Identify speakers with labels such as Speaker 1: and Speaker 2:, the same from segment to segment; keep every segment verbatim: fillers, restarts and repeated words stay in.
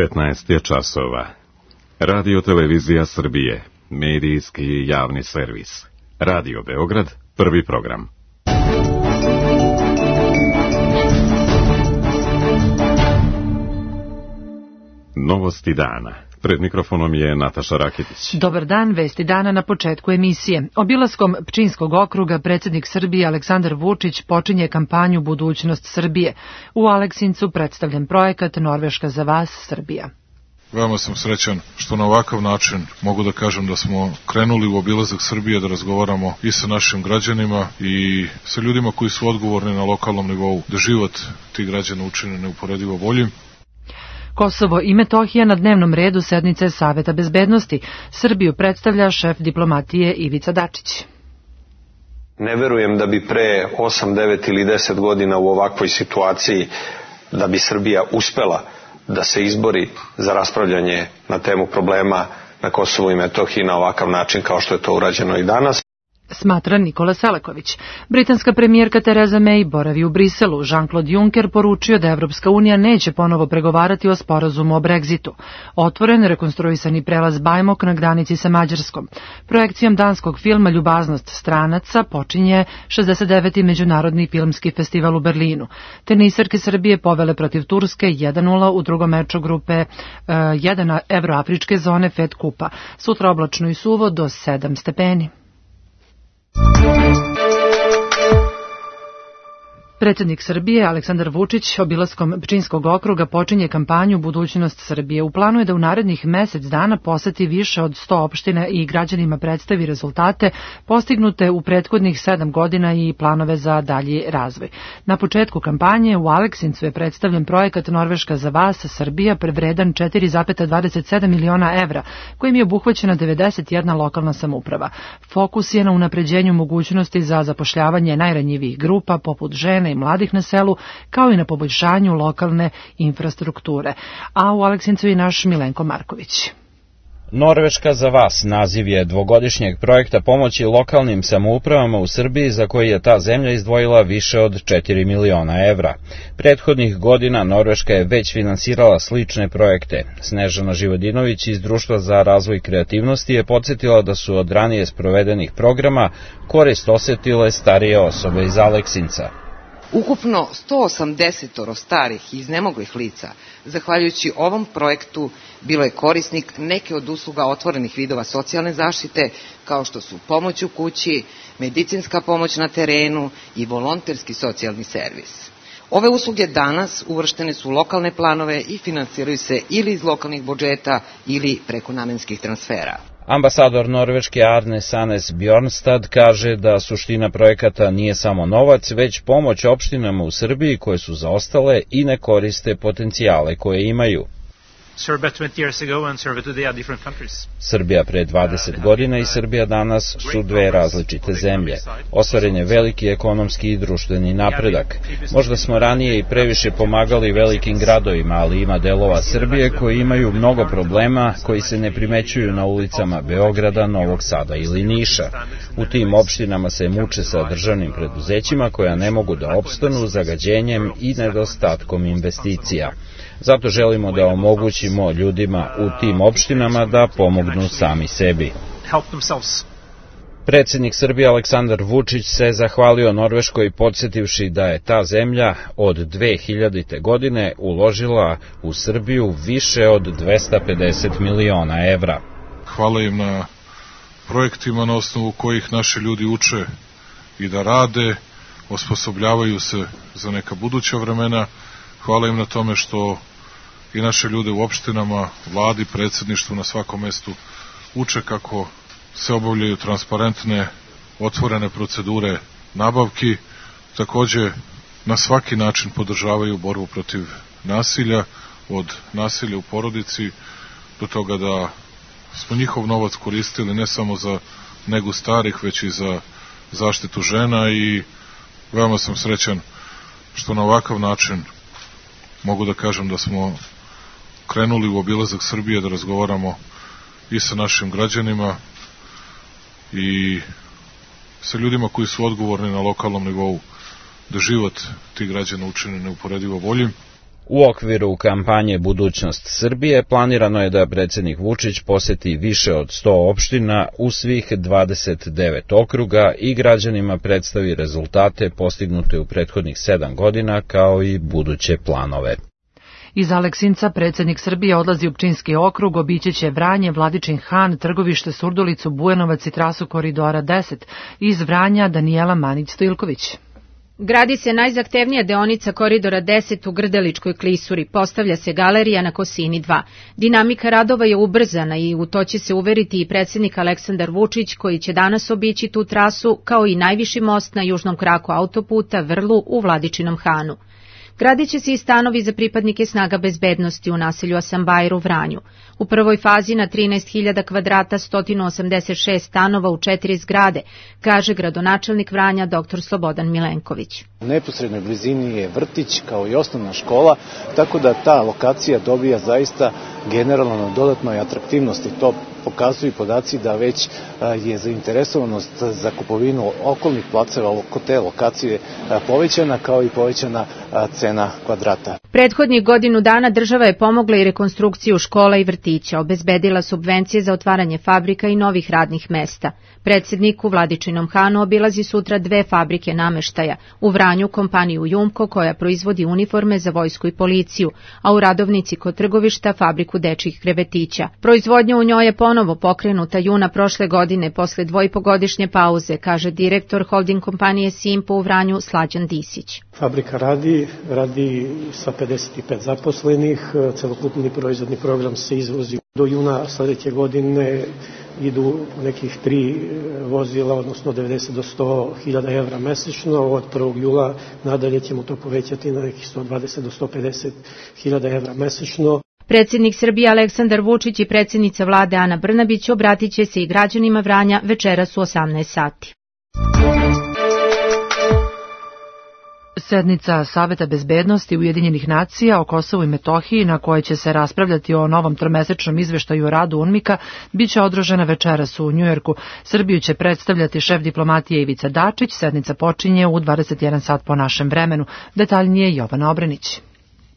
Speaker 1: petnaest je časova. Radio Televizija Srbije, medijski javni servis. Radio Beograd, prvi program. Novosti dana. Pred mikrofonom je Nataša Raketić.
Speaker 2: Dobar dan, vesti dana na početku emisije. Obilaskom Pčinjskog okruga predsjednik Srbije Aleksandar Vučić počinje kampanju Budućnost Srbije. U Aleksincu predstavljen projekat Norveška za vas, Srbija.
Speaker 3: Veoma sam srećan što na ovakav način mogu da kažem da smo krenuli u obilazak Srbije, da razgovaramo i sa našim građanima i sa ljudima koji su odgovorni na lokalnom nivou, da život tih građana učine neuporedivo boljim.
Speaker 2: Kosovo i Metohija na dnevnom redu sednice Saveta bezbednosti. Srbiju predstavlja šef diplomatije Ivica Dačić.
Speaker 4: Ne verujem da bi pre osam, devet ili deset godina u ovakvoj situaciji da bi Srbija uspela da se izbori za raspravljanje na temu problema na Kosovu i Metohiji na ovakav način kao što je to urađeno i danas.
Speaker 2: Smatra Nikola Selaković. Britanska premijerka Tereza May boravi u Briselu. Jean-Claude Juncker poručio da Evropska unija neće ponovo pregovarati o sporazumu o Brexitu. Otvoren rekonstruisani prelaz Bajmok na granici sa Mađarskom. Projekcijom danskog filma Ljubaznost stranaca počinje šezdeset deveti Međunarodni filmski festival u Berlinu. Tenisarke Srbije povele protiv Turske jedan nula u drugom meču grupe jedan evroafričke zone Fed kupa. Sutra oblačno i suvo do sedam stepeni. Predsjednik Srbije Aleksandar Vučić obilaskom Pčinjskog okruga počinje kampanju Budućnost Srbije. U planu je da u narednih mesec dana poseti više od sto opština i građanima predstavi rezultate postignute u prethodnih sedam godina i planove za dalji razvoj. Na početku kampanje u Aleksincu je predstavljen projekat Norveška za vas, Srbija, prevredan četiri zarez dvadeset sedam miliona evra, kojim je obuhvaćena devedeset jedna lokalna samouprava. Fokus je na unapređenju mogućnosti za zapošljavanje najranjivijih grupa, poput žena i mladih na selu, kao i na poboljšanju lokalne infrastrukture. A u Aleksincu je naš Milenko Marković.
Speaker 5: Norveška za vas naziv je dvogodišnjeg projekta pomoći lokalnim samoupravama u Srbiji za koji je ta zemlja izdvojila više od četiri miliona evra. Prethodnih godina Norveška je već finansirala slične projekte. Snežana Živodinović iz Društva za razvoj kreativnosti je podsjetila da su od ranije sprovedenih programa korist osetile starije osobe iz Aleksinca.
Speaker 6: Ukupno sto osamdeset starih i iznemoglih lica, zahvaljujući ovom projektu, bilo je korisnik neke od usluga otvorenih vidova socijalne zaštite, kao što su pomoć u kući, medicinska pomoć na terenu i volonterski socijalni servis. Ove usluge danas uvrštene su u lokalne planove i finansiraju se ili iz lokalnih budžeta ili preko namenskih transfera.
Speaker 5: Ambasador Norveške Arne Sanes Bjornstad kaže da suština projekata nije samo novac, već pomoć opštinama u Srbiji koje su zaostale i ne koriste potencijale koje imaju. Srbija pre dvadeset godina i Srbija danas su dve različite zemlje. Ostvaren je veliki ekonomski i društveni napredak. Možda smo ranije i previše pomagali velikim gradovima, ali ima delova Srbije koji imaju mnogo problema koji se ne primećuju na ulicama Beograda, Novog Sada ili Niša. U tim opštinama se muče sa državnim preduzećima koja ne mogu da opstanu zagađenjem i nedostatkom investicija. Zato želimo da omogućimo ljudima u tim opštinama da pomognu sami sebi. Predsjednik Srbije Aleksandar Vučić se zahvalio Norveškoj podsjetivši da je ta zemlja od dve hiljadite. godine uložila u Srbiju više od dvesta pedeset miliona evra.
Speaker 3: Hvala im na projektima na osnovu kojih naši ljudi uče i da rade, osposobljavaju se za neka buduća vremena. Hvala im na tome što i naše ljude u opštinama, vladi, predsjedništvu na svakom mestu uče kako se obavljaju transparentne, otvorene procedure nabavki. Takođe, na svaki način podržavaju borbu protiv nasilja, od nasilja u porodici do toga da smo njihov novac koristili ne samo za negu starih, već i za zaštitu žena i veoma sam srećan što na ovakav način mogu da kažem da smo krenuli u obilazak Srbije, da razgovaramo i sa našim građanima i sa ljudima koji su odgovorni na lokalnom nivou, da život tih građana učine neuporedivo boljim.
Speaker 5: U okviru kampanje Budućnost Srbije planirano je da predsjednik Vučić poseti više od sto opština u svih dvadeset devet okruga i građanima predstavi rezultate postignute u prethodnih sedam godina kao i buduće planove.
Speaker 2: Iz Aleksinca predsjednik Srbije odlazi u Pčinski okrug, obići će Vranje, Vladičin Han, Trgovište, Surdulicu, Bujanovac i trasu koridora deset. Iz Vranja Danijela Manić-Stojilković.
Speaker 7: Gradi se najzahtevnija deonica koridora deset u Grdeličkoj klisuri, postavlja se galerija na Kosini dva. Dinamika radova je ubrzana i u to će se uveriti i predsjednik Aleksandar Vučić, koji će danas obići tu trasu, kao i najviši most na južnom kraku autoputa Vrlu u Vladičinom Hanu. Gradit će se i stanovi za pripadnike snaga bezbednosti u naselju Asambajr u Vranju. U prvoj fazi na trinaest hiljada kvadrata sto osamdeset šest stanova u četiri zgrade, kaže gradonačelnik Vranja dr Slobodan Milenković.
Speaker 8: U neposrednoj blizini je vrtić kao i osnovna škola, tako da ta lokacija dobija zaista generalno na dodatnoj atraktivnosti. To pokazuju podaci da već je zainteresovanost za kupovinu okolnih placeva oko te lokacije povećana, kao i povećana cena kvadrata.
Speaker 7: Prethodnih godinu dana država je pomogla i rekonstrukciju škola i vrtića, obezbedila subvencije za otvaranje fabrika i novih radnih mesta. Predsjednik u Vladičinom Hanu obilazi sutra dve fabrike nameštaja, u Vranju kompaniju Jumko koja proizvodi uniforme za vojsku i policiju, a u Radovnici kod Trgovišta fabriku dečjih krevetića. Proizvodnja u njoj je ponovo pokrenuta juna prošle godine posle dvojpogodišnje pauze, kaže direktor holding kompanije Simpo u Vranju Slađan Disić.
Speaker 9: Fabrika radi, radi sa pedeset pet zaposlenih, celokupni proizvodni program se izvozi do juna sledeće godine, idu nekih tri vozila, odnosno devedeset do sto hiljada evra mesečno. Od prvog jula nadalje ćemo to povećati na nekih sto dvadeset do sto pedeset hiljada evra mesečno.
Speaker 7: Predsjednik Srbije Aleksandar Vučić i predsjednica vlade Ana Brnabić obratit će se i građanima Vranja večeras u osamnaest sati.
Speaker 2: Sednica Saveta bezbednosti Ujedinjenih nacija o Kosovu i Metohiji, na kojoj će se raspravljati o novom tromesečnom izveštaju o radu UNMIK-a, biće održana večeras u Njujorku. Srbiju će predstavljati šef diplomatije Ivica Dačić. Sednica počinje u dvadeset jedan sat po našem vremenu. Detaljnije Jovana Obrenić.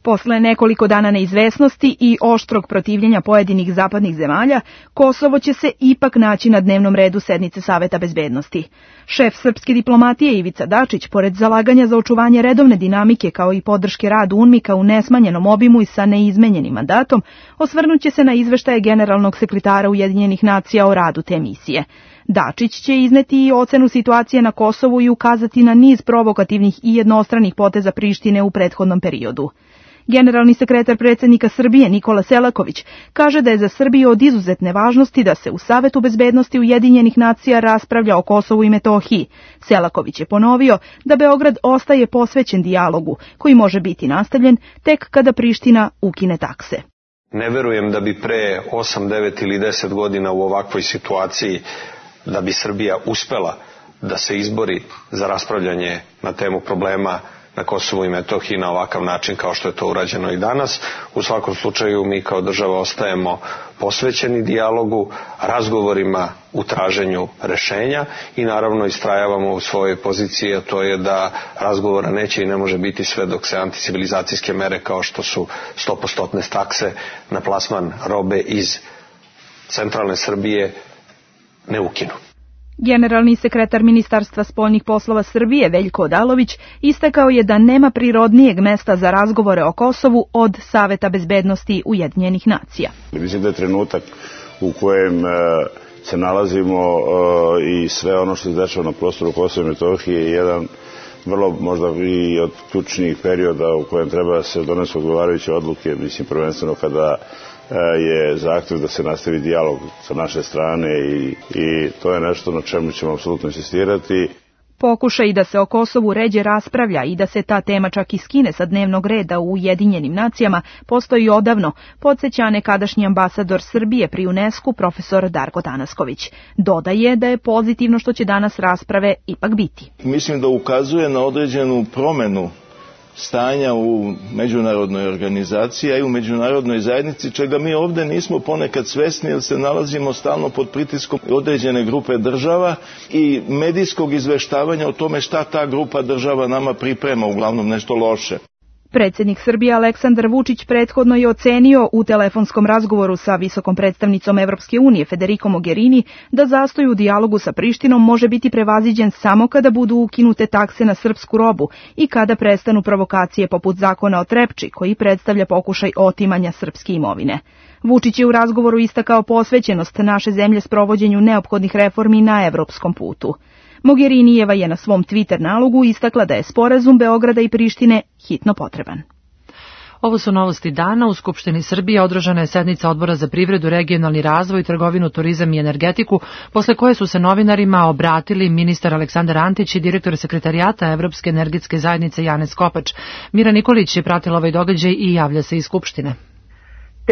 Speaker 10: Posle nekoliko dana neizvesnosti i oštrog protivljenja pojedinih zapadnih zemalja, Kosovo će se ipak naći na dnevnom redu sednice Saveta bezbednosti. Šef srpske diplomatije Ivica Dačić, pored zalaganja za očuvanje redovne dinamike kao i podrške radu UNMIK-a u nesmanjenom obimu i sa neizmenjenim mandatom, osvrnuće se na izveštaje generalnog sekretara Ujedinjenih nacija o radu te misije. Dačić će izneti i ocenu situacije na Kosovu i ukazati na niz provokativnih i jednostranih poteza Prištine u prethodnom periodu. Generalni sekretar predsjednika Srbije Nikola Selaković kaže da je za Srbiju od izuzetne važnosti da se u Savetu bezbednosti Ujedinjenih nacija raspravlja o Kosovu i Metohiji. Selaković je ponovio da Beograd ostaje posvećen dijalogu, koji može biti nastavljen tek kada Priština ukine takse.
Speaker 4: Ne verujem da bi pre osam, devet ili deset godina u ovakvoj situaciji da bi Srbija uspela da se izbori za raspravljanje na temu problema na Kosovu i Metohiji na ovakav način kao što je to urađeno i danas. U svakom slučaju mi kao država ostajemo posvećeni dijalogu, razgovorima u traženju rešenja i naravno istrajavamo u svojoj poziciji, a to je da razgovora neće i ne može biti sve dok se anticivilizacijske mere kao što su sto posto takse na plasman robe iz centralne Srbije ne ukinu.
Speaker 10: Generalni sekretar Ministarstva spoljnih poslova Srbije Veljko Odalović istakao je da nema prirodnijeg mesta za razgovore o Kosovu od Saveta bezbednosti Ujedinjenih nacija.
Speaker 11: Mislim da je trenutak u kojem se nalazimo i sve ono što se dešava na prostoru Kosova i Metohije je jedan vrlo možda i od ključnih perioda u kojem treba da se donesu odgovarajuće odluke, mislim prvenstveno kada je zahtev da se nastavi dijalog sa naše strane i, i to je nešto na čemu ćemo apsolutno insistirati.
Speaker 10: Pokušaj da se o Kosovu ređe raspravlja i da se ta tema čak i skine sa dnevnog reda u Ujedinjenim nacijama postoji odavno, podsjeća nekadašnji ambasador Srbije pri UNESCO profesor Darko Tanasković. Dodaje da je pozitivno što će danas rasprave ipak biti.
Speaker 12: Mislim da ukazuje na određenu promenu stanja u međunarodnoj organizaciji, a i u međunarodnoj zajednici, čega mi ovdje nismo ponekad svesni jer se nalazimo stalno pod pritiskom određene grupe država i medijskog izveštavanja o tome šta ta grupa država nama priprema, uglavnom nešto loše.
Speaker 10: Predsjednik Srbije Aleksandar Vučić prethodno je ocenio u telefonskom razgovoru sa visokom predstavnicom Evropske unije Federico Mogherini da zastoj u dijalogu sa Prištinom može biti prevaziđen samo kada budu ukinute takse na srpsku robu i kada prestanu provokacije poput zakona o Trepči, koji predstavlja pokušaj otimanja srpske imovine. Vučić je u razgovoru istakao posvećenost naše zemlje sprovođenju neophodnih reformi na evropskom putu. Mogherinijeva je na svom Twitter nalogu istakla da je sporazum Beograda i Prištine hitno potreban.
Speaker 2: Ovo su novosti dana. U Skupštini Srbije održana je sednica Odbora za privredu, regionalni razvoj, trgovinu, turizam i energetiku, posle koje su se novinarima obratili ministar Aleksandar Antić i direktor sekretarijata Evropske energetske zajednice Janez Kopač. Mira Nikolić je pratila ovaj događaj i javlja se iz Skupštine.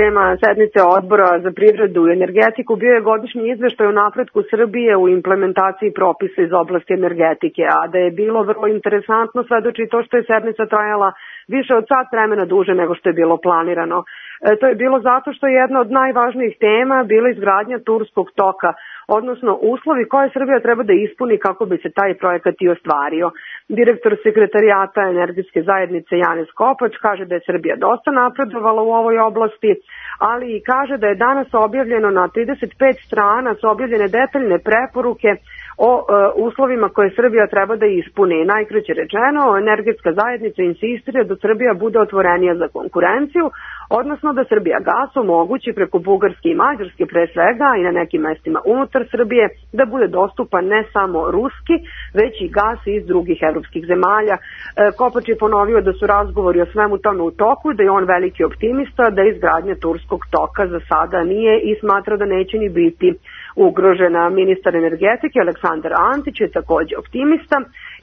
Speaker 13: Tema sednice Odbora za privredu i energetiku bio je godišnji izveštaj o napretku Srbije u implementaciji propisa iz oblasti energetike, a da je bilo vrlo interesantno svedoči to što je sednica trajala više od sat vremena duže nego što je bilo planirano. E, to je bilo zato što je jedna od najvažnijih tema bila izgradnja Turskog toka, odnosno uslovi koje Srbija treba da ispuni kako bi se taj projekat i ostvario. Direktor sekretarijata energetske zajednice Janez Kopač kaže da je Srbija dosta napredovala u ovoj oblasti, ali i kaže da je danas objavljeno na trideset pet strana su objavljene detaljne preporuke o e, uslovima koje Srbija treba da ispuni. Najkraće rečeno, energetska zajednica insistira da Srbija bude otvorenija za konkurenciju, odnosno da Srbija gas omogući preko Bugarske i Mađarske pre svega i na nekim mestima unutar Srbije da bude dostupan ne samo ruski, već i gas iz drugih evropskih zemalja. E, Kopač je ponovio da su razgovori o svemu tome u toku, da je on veliki optimista, da izgradnja Turskog toka za sada nije i smatra da neće ni biti ugrožena. Ministar energetike Aleksandar Antić je takođe optimista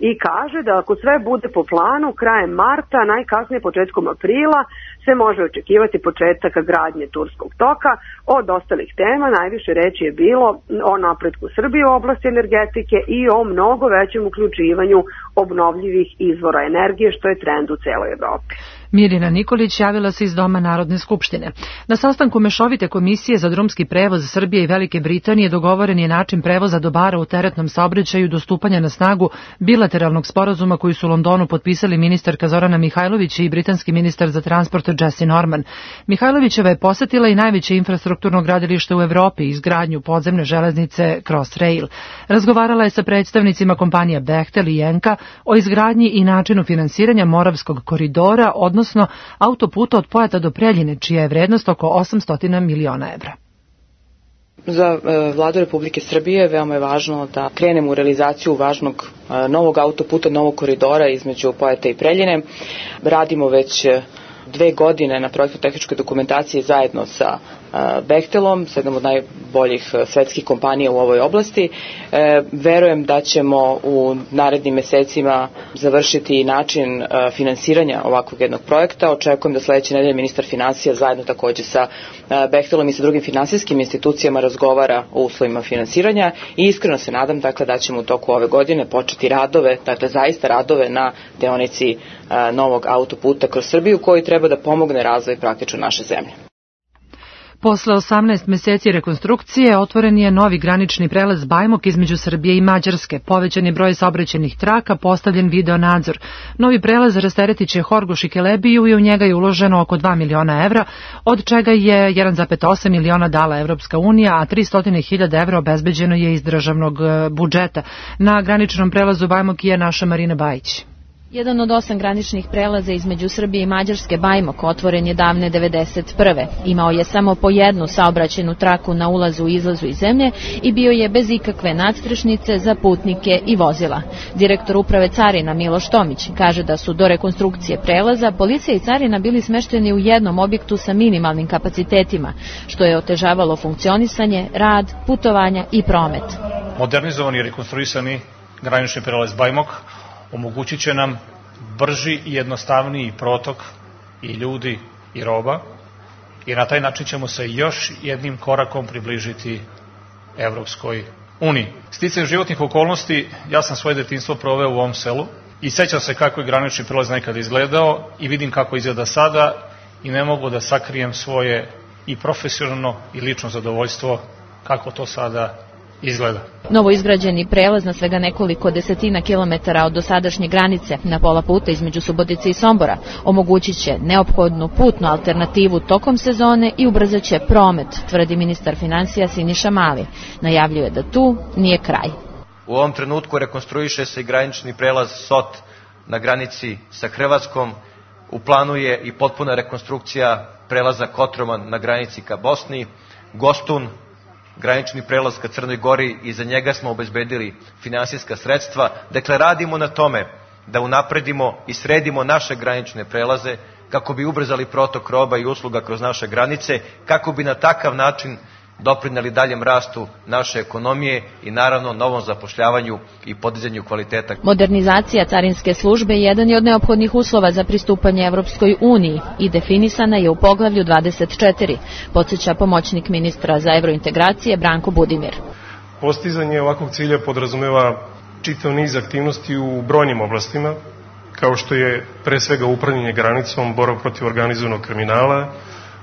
Speaker 13: i kaže da ako sve bude po planu, krajem marta, najkasnije početkom aprila, se može očekivati početak gradnje Turskog toka. Od ostalih tema najviše reči je bilo o napretku Srbije u oblasti energetike i o mnogo većem uključivanju obnovljivih izvora energije, što je trend u celoj Evropi.
Speaker 2: Mirina Nikolić javila se iz Doma Narodne skupštine. Na sastanku Mešovite komisije za drumski prevoz Srbije i Velike Britanije dogovoren je način prevoza dobara u teretnom saobraćaju do stupanja na snagu bilateralnog sporazuma koji su u Londonu potpisali ministarka Zorana Mihajlović i britanski ministar za transport Jesse Norman. Mihajlovićeva je posetila i najveće infrastrukturno gradilište u Evropi, izgradnju podzemne železnice Crossrail. Razgovarala je sa predstavnicima kompanija Bechtel i Enka o izgradnji i načinu finansiranja Moravskog koridora, odnosno odnosno autoputa od Pojata do Preljine, čija je vrednost oko osamsto miliona evra.
Speaker 14: Za Vladu Republike Srbije veoma je važno da krenemo u realizaciju važnog novog autoputa, novog koridora između Pojata i Preljine. Radimo već dve godine na projektno-tehničkoj dokumentaciji zajedno sa Bechtelom, s jednom od najboljih svetskih kompanija u ovoj oblasti. E, verujem da ćemo u narednim mesecima završiti način a, finansiranja ovakvog jednog projekta. Očekujem da sledeće nedelje ministar finansija zajedno takođe sa a, Bechtelom i sa drugim finansijskim institucijama razgovara o uslovima finansiranja i iskreno se nadam dakle, da ćemo u toku ove godine početi radove, dakle zaista radove na deonici a, novog autoputa kroz Srbiju koji treba da pomogne razvoj praktično naše zemlje.
Speaker 2: Posle osamnaest meseci rekonstrukcije otvoren je novi granični prelaz Bajmok između Srbije i Mađarske. Povećan je broj saobraćajnih traka, postavljen video nadzor. Novi prelaz rasteretiće Horgoš i Kelebiju i u njega je uloženo oko dva miliona evra, od čega je jedan zarez osam miliona dala Evropska unija, a tristo hiljada evra obezbeđeno je iz državnog budžeta. Na graničnom prelazu Bajmok je naša Marina Bajić.
Speaker 7: Jedan od osam graničnih prelaza između Srbije i Mađarske, Bajmok, otvoren je davne devedeset prve. Imao je samo po jednu saobraćajnu traku na ulazu i izlazu iz zemlje i bio je bez ikakve nadstrešnice za putnike i vozila. Direktor uprave carina Miloš Tomić kaže da su do rekonstrukcije prelaza policija i carina bili smešteni u jednom objektu sa minimalnim kapacitetima, što je otežavalo funkcionisanje, rad, putovanja i promet.
Speaker 15: Modernizovani i rekonstruisani granični prelaz Bajmok omogućit će nam brži i jednostavniji protok i ljudi i roba i na taj način ćemo se još jednim korakom približiti Evropskoj uniji. Sticajem životnih okolnosti, ja sam svoje detinjstvo proveo u ovom selu i sećam se kako je granični prelaz nekad izgledao i vidim kako izgleda sada i ne mogu da sakrijem svoje i profesionalno i lično zadovoljstvo kako to sada izgleda.
Speaker 16: Novo izgrađeni prelaz na svega nekoliko desetina kilometara od dosadašnje granice na pola puta između Subotice i Sombora omogućit će neophodnu putnu alternativu tokom sezone i ubrzat će promet, tvrdi ministar finansija Siniša Mali. Najavljuje da tu nije kraj.
Speaker 17: U ovom trenutku rekonstruiše se i granični prelaz Sot na granici sa Hrvatskom. U planu je i potpuna rekonstrukcija prelaza Kotroman na granici ka Bosni, Gostun, granični prelaz ka Crnoj Gori i za njega smo obezbedili finansijska sredstva. Dakle, radimo na tome da unapredimo i sredimo naše granične prelaze kako bi ubrzali protok roba i usluga kroz naše granice, kako bi na takav način doprineli daljem rastu naše ekonomije i naravno novom zapošljavanju i podizanju kvaliteta.
Speaker 16: Modernizacija carinske službe jedan je od neophodnih uslova za pristupanje Evropskoj uniji i definisana je u poglavlju dvadeset četiri, podsjeća pomoćnik ministra za evrointegracije Branko Budimir.
Speaker 18: Postizanje ovakvog cilja podrazumeva čitav niz aktivnosti u brojnim oblastima, kao što je pre svega upravljanje granicom, borba protiv organizovanog kriminala,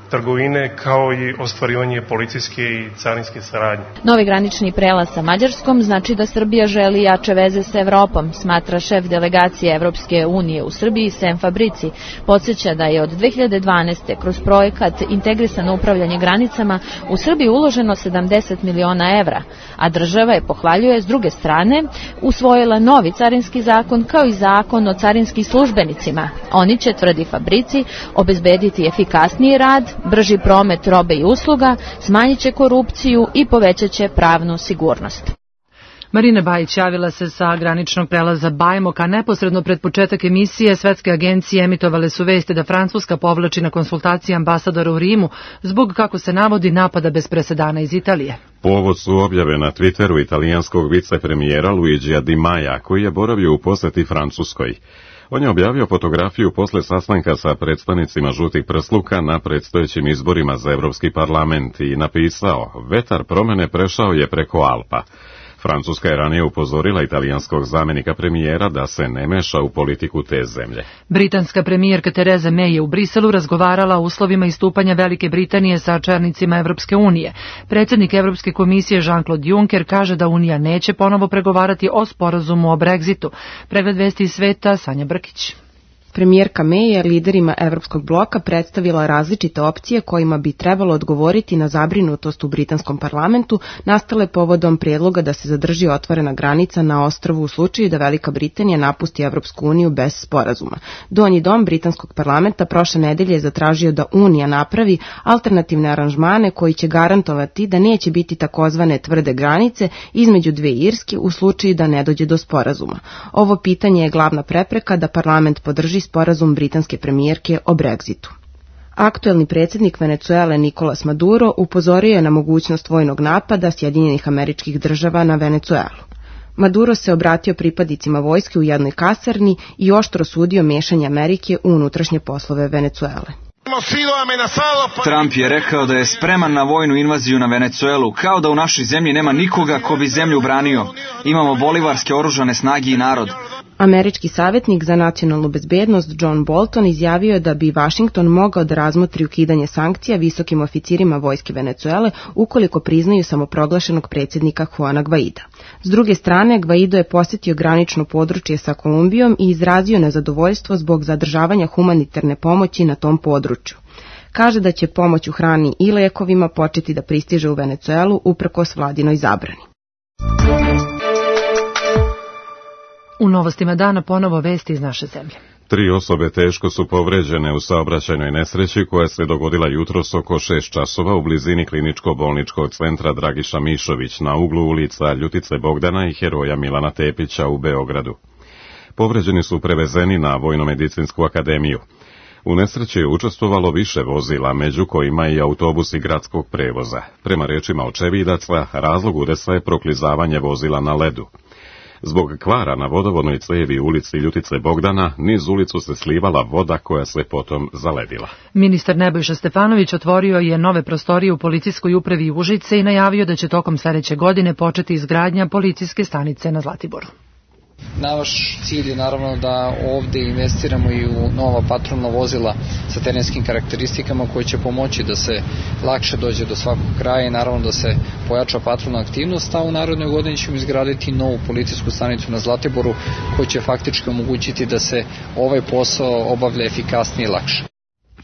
Speaker 18: trgovine, kao i ostvarivanje policijske i carinske saradnje.
Speaker 16: Novi granični prelaz sa Mađarskom znači da Srbija želi jače veze sa Evropom, smatra šef delegacije Evropske unije u Srbiji Sem Fabrici. Podsjeća da je od dve hiljade dvanaeste. kroz projekat Integrisano upravljanje granicama u Srbiji uloženo sedamdeset miliona evra, a država je, pohvaljuje, s druge strane usvojila novi carinski zakon kao i zakon o carinskim službenicima. Oni će, tvrdi Fabrici, obezbediti efikasniji rad, brži promet robe i usluga, smanjit će korupciju i povećat će pravnu sigurnost.
Speaker 2: Marina Bajić javila se sa graničnog prelaza Bajmok, a neposredno pred početak emisije svetske agencije emitovale su vesti da Francuska povlači na konsultacije ambasadora u Rimu zbog, kako se navodi, napada bez presedana iz Italije.
Speaker 1: Povod su objave na Twitteru italijanskog vicepremijera Luigija Di Maja, koji je boravio u poseti Francuskoj. On je objavio fotografiju posle sastanka sa predstavnicima žutih prsluka na predstojećim izborima za Evropski parlament i napisao: "Vetar promene prešao je preko Alpa." Francuska je ranije upozorila italijanskog zamenika premijera da se ne meša u politiku te zemlje.
Speaker 2: Britanska premijerka Tereza May je u Briselu razgovarala o uslovima istupanja Velike Britanije sa čelnicima Evropske unije. Predsjednik Evropske komisije Jean-Claude Juncker kaže da Unija neće ponovo pregovarati o sporazumu o Brexitu. Pregled vesti iz sveta, Sanja Brkić.
Speaker 19: Premijerka May je liderima Evropskog bloka predstavila različite opcije kojima bi trebalo odgovoriti na zabrinutost u britanskom parlamentu nastale povodom prijedloga da se zadrži otvorena granica na ostrvu u slučaju da Velika Britanija napusti Evropsku uniju bez sporazuma. Donji dom britanskog parlamenta prošle nedelje je zatražio da Unija napravi alternativne aranžmane koji će garantovati da neće biti takozvane tvrde granice između dve Irske u slučaju da ne dođe do sporazuma. Ovo pitanje je glavna prepreka da parlament podrži sporazum britanske premijerke o Brexitu. Aktuelni predsjednik Venecuele Nicolas Maduro upozorio je na mogućnost vojnog napada Sjedinjenih Američkih Država na Venecuelu. Maduro se obratio pripadnicima vojske u jednoj kasarni i oštro sudio mešanje Amerike u unutrašnje poslove Venecuele.
Speaker 20: Trump je rekao da je spreman na vojnu invaziju na Venecuelu, kao da u našoj zemlji nema nikoga ko bi zemlju branio. Imamo bolivarske oružane snage i narod.
Speaker 19: Američki savjetnik za nacionalnu bezbednost John Bolton izjavio je da bi Washington mogao da razmotri ukidanje sankcija visokim oficirima vojske Venecuele ukoliko priznaju samoproglašenog predsjednika Juana Guaida. S druge strane, Guaido je posjetio granično područje sa Kolumbijom i izrazio nezadovoljstvo zbog zadržavanja humanitarne pomoći na tom području. Kaže da će pomoć u hrani i lekovima početi da pristiže u Venecuelu uprkos vladinoj zabrani.
Speaker 2: U novostima dana ponovo vesti iz naše zemlje.
Speaker 1: Tri osobe teško su povređene u saobraćajnoj nesreći koja se dogodila jutros oko šest časova u blizini kliničko-bolničkog centra Dragiša Mišović na uglu ulica Ljutice Bogdana i Heroja Milana Tepića u Beogradu. Povređeni su prevezeni na Vojno-medicinsku akademiju. U nesreći je učestvovalo više vozila, među kojima i autobusi gradskog prevoza. Prema rečima očevidaca, razlog udesa je proklizavanje vozila na ledu. Zbog kvara na vodovodnoj cevi u ulici Ljutice Bogdana, niz ulicu se slivala voda koja se potom zaledila.
Speaker 2: Ministar Nebojša Stefanović otvorio je nove prostorije u policijskoj upravi Užice i najavio da će tokom sledeće godine početi izgradnja policijske stanice na Zlatiboru.
Speaker 21: Naš cilj je naravno da ovde investiramo i u nova patrolna vozila sa terenskim karakteristikama koje će pomoći da se lakše dođe do svakog kraja i naravno da se pojača patrolna aktivnost, a u narednoj godini ćemo izgraditi novu policijsku stanicu na Zlatiboru koja će faktički omogućiti da se ovaj posao obavlja efikasnije i lakše.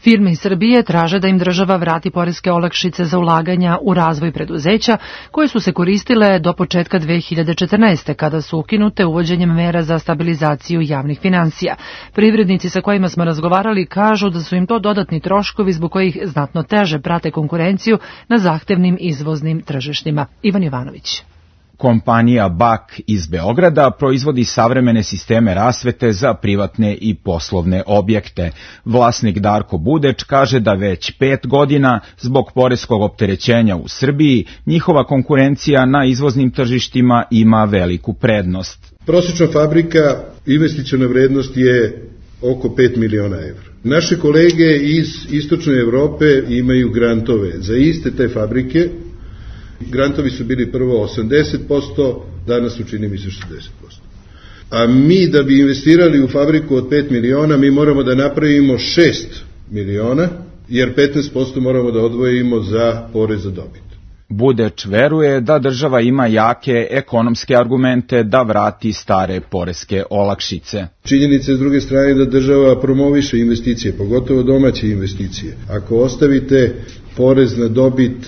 Speaker 2: Firme iz Srbije traže da im država vrati poreske olakšice za ulaganja u razvoj preduzeća koje su se koristile do početka dve hiljade četrnaeste. kada su ukinute uvođenjem mera za stabilizaciju javnih finansija. Privrednici sa kojima smo razgovarali kažu da su im to dodatni troškovi zbog kojih znatno teže prate konkurenciju na zahtevnim izvoznim tržištima. Ivan Jovanović.
Speaker 22: Kompanija B A K iz Beograda proizvodi savremene sisteme rasvete za privatne i poslovne objekte. Vlasnik Darko Budeć kaže da već pet godina, zbog poreskog opterećenja u Srbiji, njihova konkurencija na izvoznim tržištima ima veliku prednost.
Speaker 23: Prosječna fabrika, investiciona vrednost je oko pet miliona evra. Naše kolege iz istočne Evrope imaju grantove za iste te fabrike. Grantovi su bili prvo osamdeset posto, danas su čini mi se šezdeset posto. A mi da bi investirali u fabriku od pet miliona, mi moramo da napravimo šest miliona, jer petnaest posto moramo da odvojimo za porez za dobit.
Speaker 22: Budeć veruje da država ima jake ekonomske argumente da vrati stare poreske olakšice.
Speaker 23: Činjenica je s druge strane da država promoviše investicije, pogotovo domaće investicije. Ako ostavite porez na dobit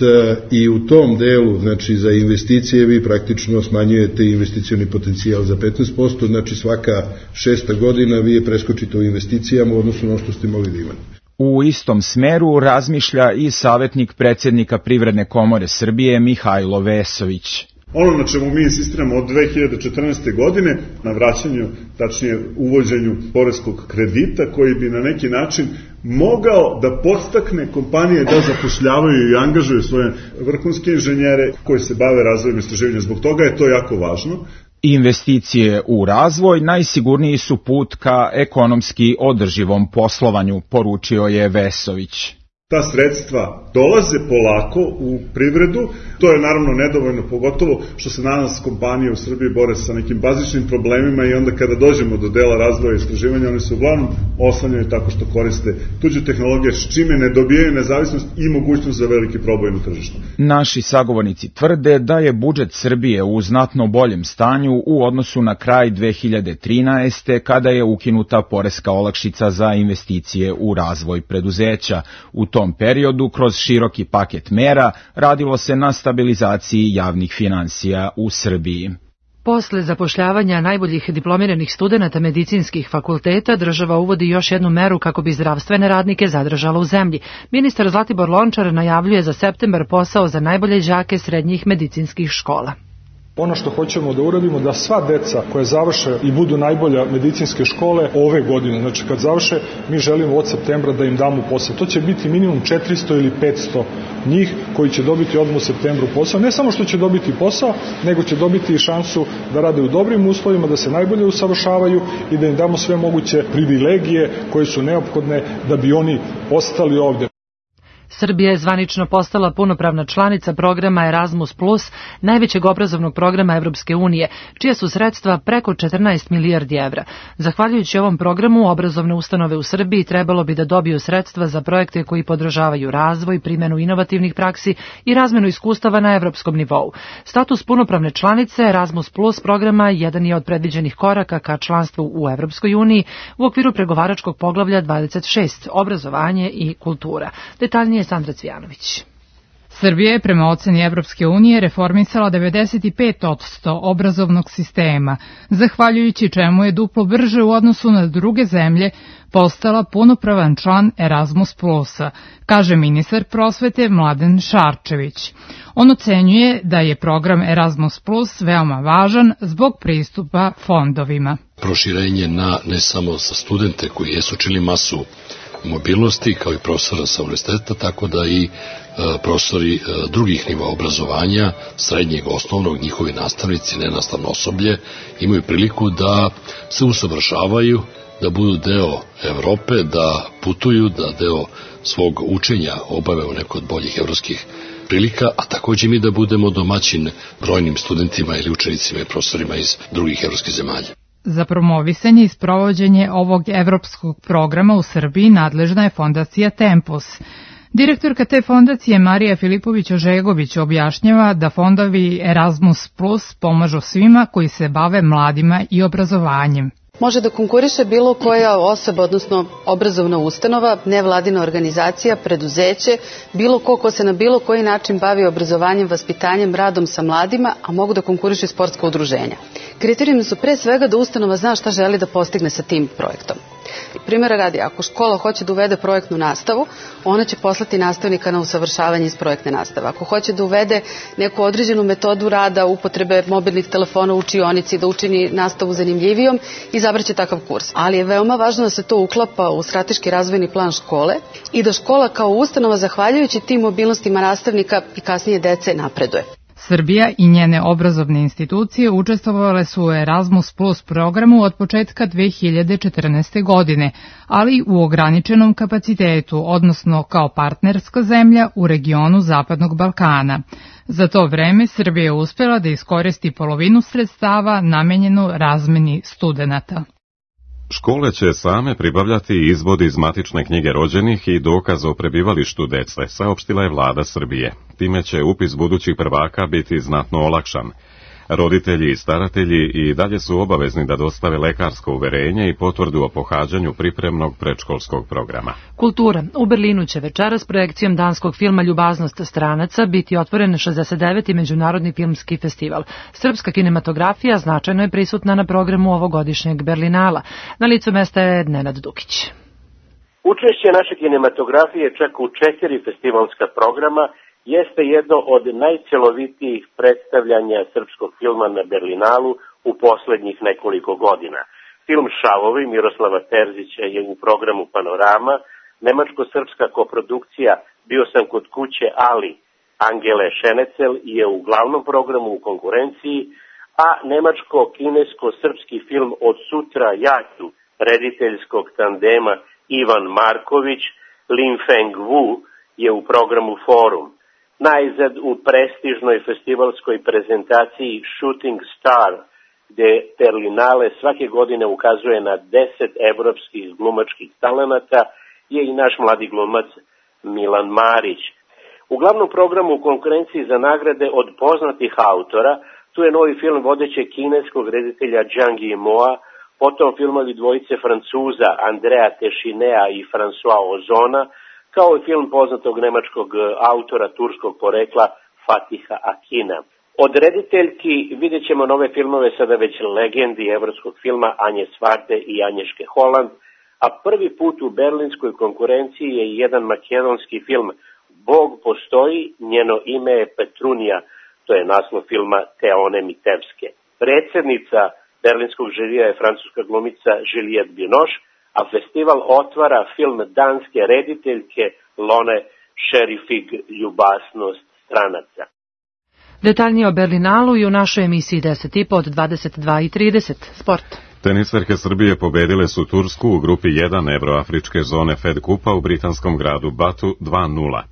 Speaker 23: i u tom delu, znači za investicije, vi praktično smanjujete investicioni potencijal za petnaest posto, znači svaka šesta godina vi je preskočite u investicijama u odnosu na ono što ste mogli da imate.
Speaker 22: U istom smeru razmišlja i savjetnik predsjednika Privredne komore Srbije Mihajlo Vesović.
Speaker 24: Ono na čemu mi insistiramo od dve hiljade četrnaeste. godine na vraćanju, tačnije uvođenju poreskog kredita koji bi na neki način mogao da podstakne kompanije da zapošljavaju i angažuju svoje vrhunske inženjere koji se bave razvojem istraživanja. Zbog toga je to jako važno.
Speaker 22: Investicije u razvoj najsigurniji su put ka ekonomski održivom poslovanju, poručio je Vesović.
Speaker 24: Ta sredstva dolaze polako u privredu, to je naravno nedovoljno, pogotovo što se danas kompanije u Srbiji bore sa nekim bazičnim problemima i onda kada dođemo do dela razvoja i istraživanja, oni se uglavnom oslanjaju tako što koriste tuđe tehnologije, s čime ne dobijaju nezavisnost i mogućnost za veliki proboj na tržištu.
Speaker 22: Naši sagovornici tvrde da je budžet Srbije u znatno boljem stanju u odnosu na kraj dve hiljade trinaeste. kada je ukinuta poreska olakšica za investicije u razvoj preduzeća. U tom periodu, kroz široki paket mera, radilo se na stabilizaciji javnih finansija u Srbiji.
Speaker 2: Posle zapošljavanja najboljih diplomiranih studenata medicinskih fakulteta, država uvodi još jednu meru kako bi zdravstvene radnike zadržala u zemlji. Ministar Zlatibor Lončar najavljuje za septembar posao za najbolje đake srednjih medicinskih škola.
Speaker 25: Ono što hoćemo da uradimo da sva deca koje završe i budu najbolja medicinske škole ove godine, znači kad završe, mi želimo od septembra da im damo posao. To će biti minimum četiristo ili petsto njih koji će dobiti odmah u septembru posao. Ne samo što će dobiti posao, nego će dobiti i šansu da rade u dobrim uslovima, da se najbolje usavršavaju i da im damo sve moguće privilegije koje su neophodne da bi oni ostali ovde.
Speaker 2: Srbija je zvanično postala punopravna članica programa Erasmus plus, najvećeg obrazovnog programa Evropske unije, čija su sredstva preko četrnaest milijardi evra. Zahvaljujući ovom programu, obrazovne ustanove u Srbiji trebalo bi da dobiju sredstva za projekte koji podržavaju razvoj, primjenu inovativnih praksi i razmenu iskustava na evropskom nivou. Status punopravne članice Erasmus plus programa jedan je od predviđenih koraka ka članstvu u Evropskoj uniji u okviru pregovaračkog poglavlja dvadeset šest, obrazovanje i kultura. Detaljnije je Sandra Cvijanović.
Speaker 26: Srbija je prema oceni Evropske unije reformisala devedeset pet posto obrazovnog sistema, zahvaljujući čemu je duplo brže u odnosu na druge zemlje postala punopravan član Erasmus plusa, kaže ministar prosvete Mladen Šarčević. On ocenjuje da je program Erasmus plus veoma važan zbog pristupa fondovima.
Speaker 27: Proširenje na ne samo za studente koji jesu čili masu mobilnosti, kao i profesora sa univerziteta, tako da i e, profesori e, drugih nivoa obrazovanja, srednjeg, osnovnog, njihovi nastavnici, nenastavno osoblje, imaju priliku da se usavršavaju, da budu deo Evrope, da putuju, da deo svog učenja obave u nekoj od boljih evropskih prilika, a takođe mi da budemo domaćin brojnim studentima ili učenicima i profesorima iz drugih evropskih zemalja.
Speaker 26: Za promovisanje i sprovođenje ovog evropskog programa u Srbiji nadležna je fondacija Tempus. Direktorka te fondacije Marija Filipović-Ožegović objašnjava da fondovi Erasmus Plus pomažu svima koji se bave mladima i obrazovanjem.
Speaker 3: Može da konkuriše bilo koja osoba, odnosno obrazovna ustanova, nevladina organizacija, preduzeće, bilo ko ko se na bilo koji način bavi obrazovanjem, vaspitanjem, radom sa mladima, a mogu da konkurišu i sportska udruženja. Kriterijumi su pre svega da ustanova zna šta želi da postigne sa tim projektom. Primjera radi, ako škola hoće da uvede projektnu nastavu, ona će poslati nastavnika na usavršavanje iz projektne nastave. Ako hoće da uvede neku određenu metodu rada, upotrebe mobilnih telefona u učionici, da učini nastavu zanimljivijom, izabraće takav kurs. Ali je veoma važno da se to uklapa u strateški razvojni plan škole i da škola kao ustanova, zahvaljujući tim mobilnostima nastavnika i kasnije dece, napreduje.
Speaker 26: Srbija i njene obrazovne institucije učestvovale su u Erasmus Plus programu od početka dve hiljade četrnaeste. godine, ali u ograničenom kapacitetu, odnosno kao partnerska zemlja u regionu Zapadnog Balkana. Za to vreme Srbija je uspela da iskoristi polovinu sredstava namenjenu razmeni studenata.
Speaker 1: Škole će same pribavljati izvod iz matične knjige rođenih i dokaz o prebivalištu dece, saopštila je vlada Srbije. Time će upis budućih prvaka biti znatno olakšan. Roditelji i staratelji i dalje su obavezni da dostave lekarsko uverenje i potvrdu o pohađanju pripremnog predškolskog programa.
Speaker 2: Kultura. U Berlinu će večeras projekcijom danskog filma Ljubaznost stranaca biti otvoren šezdeset deveti. Međunarodni filmski festival. Srpska kinematografija značajno je prisutna na programu ovogodišnjeg Berlinala. Na licu mesta je Nenad Dukić.
Speaker 4: Učešće naše kinematografije čak u četiri festivalska programa jeste jedno od najcelovitijih predstavljanja srpskog filma na Berlinalu u poslednjih nekoliko godina. Film Šavovi Miroslava Terzića je u programu Panorama, nemačko-srpska koprodukcija Bio sam kod kuće Ali Angele Šenecel je u glavnom programu u konkurenciji, a nemačko-kinesko-srpski film Od sutra ja ću rediteljskog tandema Ivan Marković, Lin Feng Wu je u programu Forum. Najzad u prestižnoj festivalskoj prezentaciji Shooting Star, gde Berlinale svake godine ukazuje na deset evropskih glumačkih talenata, je i naš mladi glumac Milan Marić. U glavnom programu u konkurenciji za nagrade od poznatih autora, tu je novi film vodećeg kineskog reditelja Zhang Yimou, potom filmovi dvojice Francuza Andrea Teixeira i François Ozona, kao i film poznatog nemačkog autora turskog porekla Fatiha Akina. Od rediteljki vidjet ćemo nove filmove sada već legendi evropskog filma Anje Svarte i Anješke Holand, a prvi put u berlinskoj konkurenciji je jedan makedonski film Bog postoji, njeno ime je Petrunija, to je naslov filma Teone Mitevske. Predsednica berlinskog žirija je francuska glumica Juliette Binoche, a festival otvara film danske rediteljke Lone Šerifig Ljubaznost stranaca.
Speaker 2: Detaljnije o Berlinalu i u našoj emisiji deset i po od dvadeset dva i trideset. Sport.
Speaker 1: Tenisverke Srbije pobedile su Tursku u grupi jedan Evroafričke zone Fed Kupa u britanskom gradu Batu dva nula.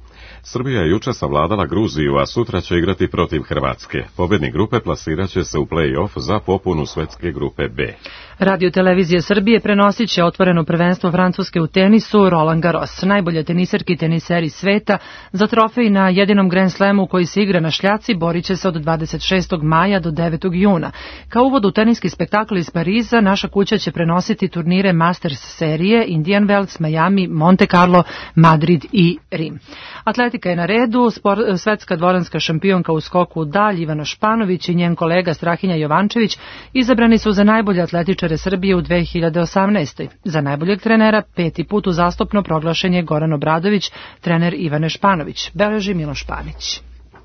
Speaker 1: Srbija je juče savladala Gruziju, a sutra će igrati protiv Hrvatske. Pobednik grupe plasirat će se u play-off za popunu svetske grupe B.
Speaker 2: Radio televizija Srbije prenosit će otvoreno prvenstvo Francuske u tenisu Roland Garros. Najbolje teniserki i teniseri sveta za trofej na jedinom Grand Slamu koji se igra na šljaci borit će se od dvadeset šestog maja do devetog juna. Kao uvod u teniski spektakl iz Pariza, naša kuća će prenositi turnire Masters serije Indian Wells, Miami, Monte Carlo, Madrid i Rim. Atletika je na redu. Spor, svetska dvoranska šampionka u skoku u dalj Ivana Španović i njen kolega Strahinja Jovančević izabrani su za najbolje atletičare Srbije u dve hiljade osamnaestoj. Za najboljeg trenera peti put uzastopno proglašen je Goran Obradović, trener Ivane Španović. Beleži Miloš Panić.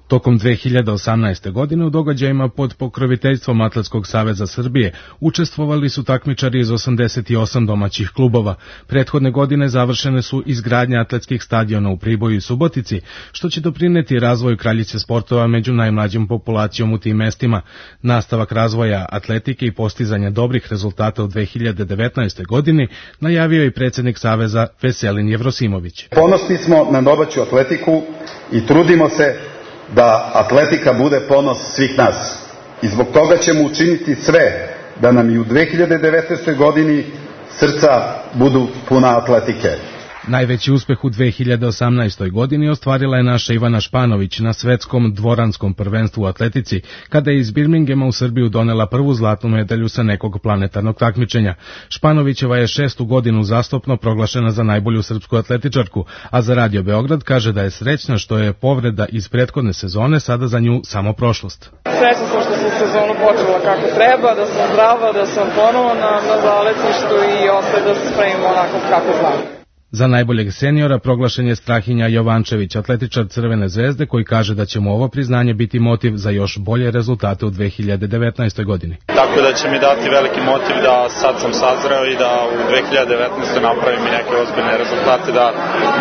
Speaker 5: Tokom dve hiljade osamnaeste. godine u događajima pod pokroviteljstvom Atletskog saveza Srbije učestvovali su takmičari iz osamdeset osam domaćih klubova. Prethodne godine završene su izgradnje atletskih stadiona u Priboju i Subotici, što će doprineti razvoju kraljice sportova među najmlađom populacijom u tim mestima. Nastavak razvoja atletike i postizanja dobrih rezultata u dve hiljade devetnaestoj. godini najavio i predsjednik saveza Veselin Jevrosimović.
Speaker 6: Ponosni smo na domaću atletiku i trudimo se da atletika bude ponos svih nas. I zbog toga ćemo učiniti sve da nam i u dve hiljade devetnaestoj. godini srca budu puna atletike.
Speaker 5: Najveći uspeh u dve hiljade osamnaestoj. godini ostvarila je naša Ivana Španović na svetskom dvoranskom prvenstvu u atletici, kada je iz Birminghama u Srbiju donela prvu zlatnu medalju sa nekog planetarnog takmičenja. Španovićeva je šestu godinu zastopno proglašena za najbolju srpsku atletičarku, a za Radio Beograd kaže da je srećna što je povreda iz prethodne sezone sada za nju samo prošlost.
Speaker 8: Srećna sam što sam sezonu počela kako treba, da sam zdrava, da sam ponovo na, na zaletništu i ostaje da se spremimo onako kako znam.
Speaker 5: Za najboljeg seniora proglašen je Strahinja Jovančević, atletičar Crvene zvezde, koji kaže da će mu ovo priznanje biti motiv za još bolje rezultate u dve hiljade devetnaestoj. godini.
Speaker 9: Tako da će mi dati veliki motiv da sad sam sazreo i da u dve hiljade devetnaestoj. napravim i neke ozbiljne rezultate, da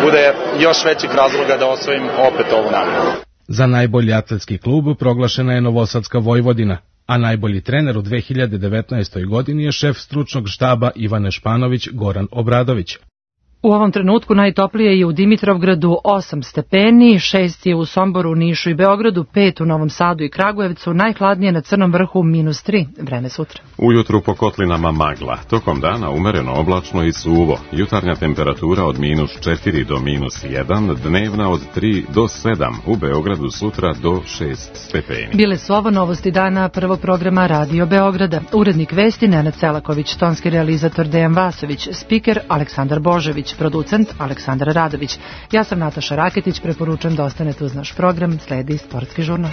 Speaker 9: bude još većih razloga da osvojim opet ovu nagradu.
Speaker 5: Za najbolji atletski klub proglašena je Novosadska Vojvodina, a najbolji trener u dve hiljade devetnaestoj. godini je šef stručnog štaba Ivane Španović Goran Obradović.
Speaker 2: U ovom trenutku najtoplije je u Dimitrovgradu osam stepeni, šest je u Somboru, Nišu i Beogradu, pet u Novom Sadu i Kragujevcu, najhladnije na Crnom vrhu minus tri. Vreme sutra.
Speaker 1: Ujutru po kotlinama magla, tokom dana umereno oblačno i suvo, jutarnja temperatura od minus četiri do minus jedan, dnevna od tri do sedam, u Beogradu sutra do šest stepeni.
Speaker 2: Bile su ovo novosti dana prvog programa Radio Beograda. Urednik vesti Nenad Selaković, tonski realizator Dejan Vasović, spiker Aleksandar Božević, producent Aleksandar Radović. Ja sam Nataša Raketić, preporučujem da ostanete uz naš program, sledi sportski žurnal.